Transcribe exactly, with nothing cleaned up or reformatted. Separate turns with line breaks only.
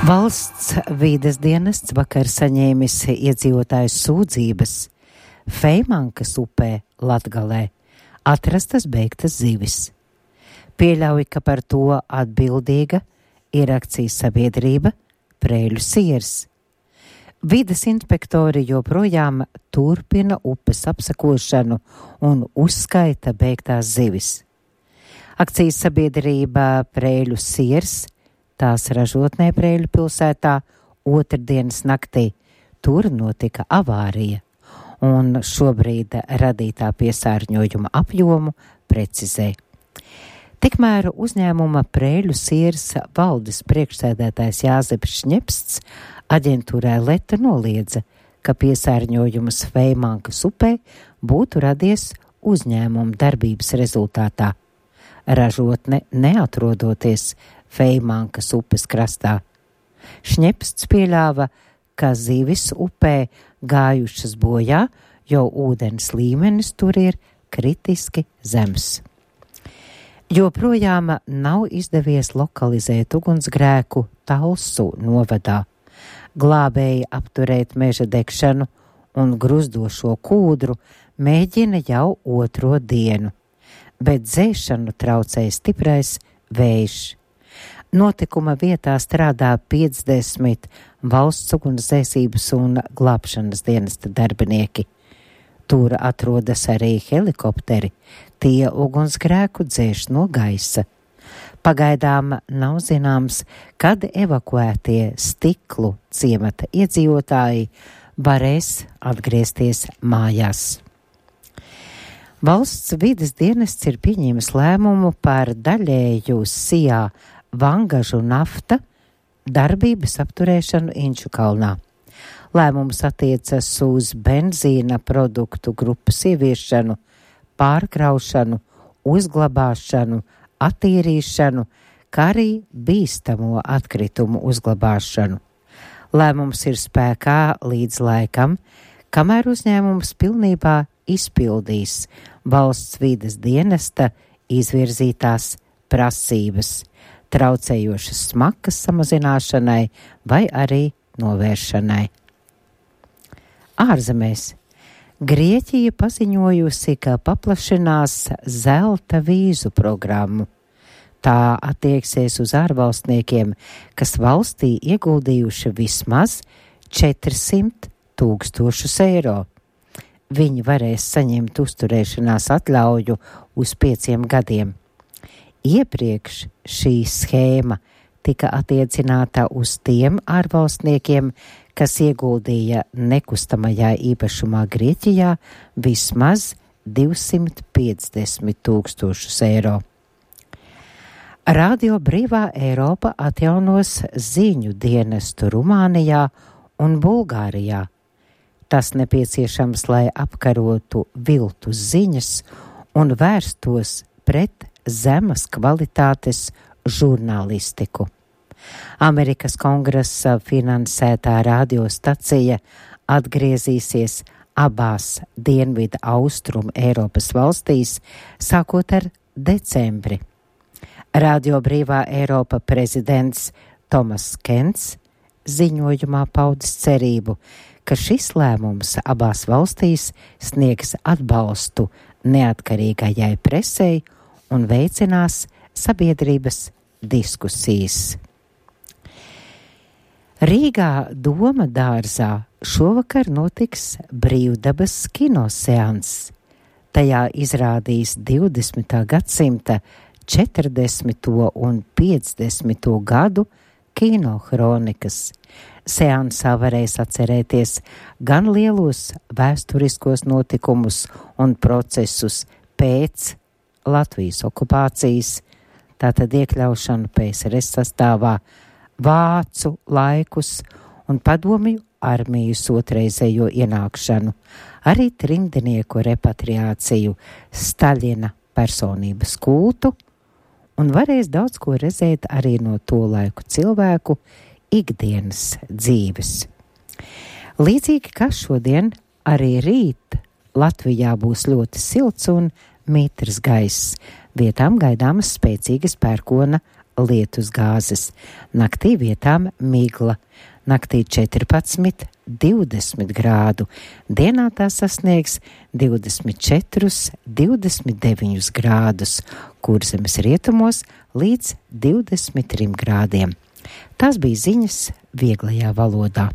Valsts vīdes dienests vakar saņēmis iedzīvotāju sūdzības. Feimankas upē Latgalē atrastas beigtas zivis. Pieļauj, ka par to atbildīga ir akcijas sabiedrība Prēļu siers. Vides inspektori joprojām turpina upes apsekošanu un uzskaita beigtās zivis. Akcijas sabiedrība Prēļu siers, tās ražotnē Prēļu pilsētā, otrdienas naktī. Tur notika avārija, un šobrīd radītā piesārņojuma apjomu precizē. Tikmēr uzņēmuma Prēļu siers valdes priekšsēdētājs Jāzeps Šņepsts aģentūrai Leta noliedza, ka piesārņojums Feimankas upē būtu radies uzņēmuma darbības rezultātā. Ražotne neatrodoties Feimankas upes krastā. Šņepsts pieļāva, ka zivis upē gājušas bojā, jo ūdens līmenis tur ir kritiski zems. Joprojām nav izdevies lokalizēt ugunsgrēku Talsu novadā. Glābēji apturēt meža degšanu un gruzdošo kūdru mēģina jau otro dienu, bet dzēšanu traucēja stiprais vējš. Notikuma vietā strādā piecdesmit valsts ugunsdzēsības un glābšanas dienesta darbinieki. Tur atrodas arī helikopteri, tie ugunsgrēku dzēš no gaisa. Pagaidām nav zināms, kad evakuētie Stiklu ciemata iedzīvotāji varēs atgriezties mājās. Valsts vides dienests ir pieņēmis lēmumu par daļēju Sijā Vangažu nafta darbības apturēšanu Inčukalnā. Lēmums attiecas uz benzīna produktu grupas ieviešanu, pārkraušanu, uzglabāšanu, attīrīšanu, kā arī bīstamo atkritumu uzglabāšanu. Lēmums ir spēkā līdz laikam, kamēr uzņēmums pilnībā izpildīs valsts vides dienesta izvirzītās prasības, traucējošas smakas samazināšanai vai arī novēršanai. Ārzemēs. Grieķija paziņojusi, ka paplašinās zelta vīzu programmu. Tā attieksies uz ārvalstniekiem, kas valstī ieguldījuši vismaz četrsimt tūkstošus eiro. Viņi varēs saņemt uzturēšanās atļauju uz pieciem gadiem. Iepriekš šī schēma tika attiecināta uz tiem ārvalstniekiem, kas ieguldīja nekustamajā īpašumā Grieķijā vismaz divsimt piecdesmit tūkstošus eiro. Radio Brīvā Eiropa atjaunos ziņu dienestu Rumānijā un Bulgārijā. Tas nepieciešams, lai apkarotu viltus ziņas un vērstos pret zemas kvalitātes žurnālistiku. Amerikas kongresa finansētā radiostacija atgriezīsies abās dienvidu austrumu Eiropas valstīs, sākot ar decembri. Radio Brīvā Eiropa prezidents Tomas Kents ziņojumā paudis cerību, ka šis lēmums abās valstīs sniegs atbalstu neatkarīgajai presei un veicinās sabiedrības diskusijas. Rīgā Doma dārzā šovakar notiks brīvdabas kinoseans. Tajā izrādīs divdesmitā gadsimta četrdesmito un piecdesmito gadu kinohronikas. Seansā varēs atcerēties gan lielos vēsturiskos notikumus un procesus pēc Latvijas okupācijas, tātad iekļaušanu P S R S sastāvā, vācu laikus un padomju armijas otrreizējo ienākšanu, arī trimdnieku repatriāciju, Staļina personības kultu, un varēs daudz ko redzēt arī no to laiku cilvēku ikdienas dzīves. Līdzīgi kā šodien, arī rīt Latvijā būs ļoti silts un mitrs gaiss, vietām gaidāmas spēcīgas pērkona lietus gāzes, naktī vietām migla. Naktī četrpadsmit, divdesmit grādu, dienā tā sasniegs divdesmit četrus, divdesmit deviņus grādus, Kurzemes rietumos līdz divdesmit trim grādiem. Tās bija ziņas vieglajā valodā.